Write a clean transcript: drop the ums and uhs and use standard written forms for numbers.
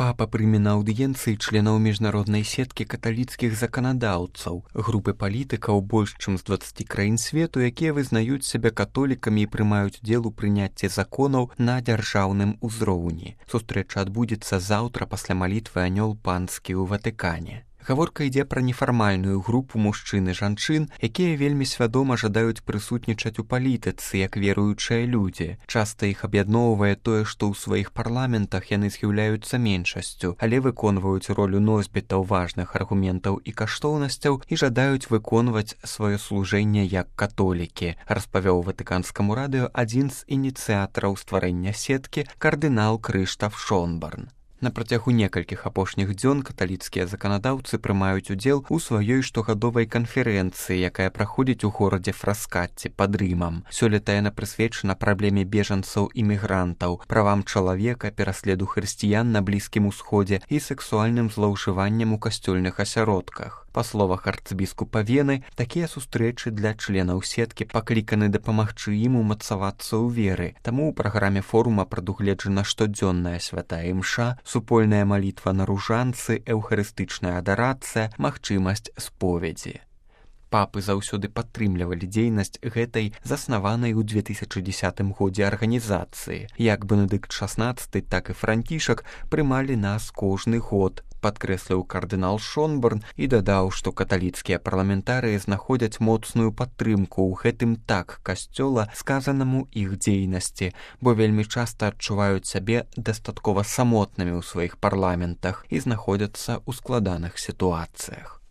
Папа прыме на аўдыенцыі членаў міжнароднай сеткі каталіцкіх заканадаўцаў, групы палітыкаў больш чым з 20 краін свету, якія вызнаюць сябе католікамі і прымаюць удзел у прыняцці законаў на дзяржаўным узроўні. Сустрэча адбудзецца заўтра пасля малітвы анёл панскі ў Ватыкане. Гаворка ідзе пра нефармальную групу мужчын і жанчын, якія вельмі свядома жадаюць прысутнічаць у палітыцы як веруючыя людзі. Часта іх аб'ядноўвае тое, што ў сваіх парламентах яны з'яўляюцца меншасцю, але выконваюць ролю носьбітаў важных аргументаў і каштоўнасцяў і жадаюць выконваць сваё служэнне як католікі, распавёў Ватыканскаму радыё адзін з ініцыятараў стварэння сеткі кардынал Крыштаф Шонбарн. На працягу некалькіх апошніх дзён каталіцкія заканадаўцы прымаюць удзел у сваёй штогадовай канферэнцыі, якая праходзіць у горадзе Фраскатці пад Рымам. Сёлета яна прысвечана праблеме бежанцаў і мігрантаў, правам чалавека, пераследу хрысціян на Блізкім Усходзе і сексуальным злоўжываннем у касцёльных асяродках. Па словах арцыбіскупа Вены, такія сустрэчы для членаў сеткі пакліканы дапамагчы ім умацавацца ў веры. Таму ў праграме форума прадугледжана штодзённая святая імша, супольная малітва на ружанцы, эўхарыстычная адарацыя, магчымасць споведзі. Папы заўсёды падтрымлівалі дзейнасць гэтай заснаванай у 2010 годзе арганізацыі. Як Бенедыкт XVI, так і Францішак прымалі нас кожны год, падкрэсліў кардынал Шонбарн і дадаў, што каталіцкія парламентарыі знаходзяць моцную падтрымку ў гэтым так касцёла сказанаму іх дзейнасці, бо вельмі часта адчуваюць сябе дастаткова самотнымі ў сваіх парламентах і знаходзяцца ў складаных сітуацыях.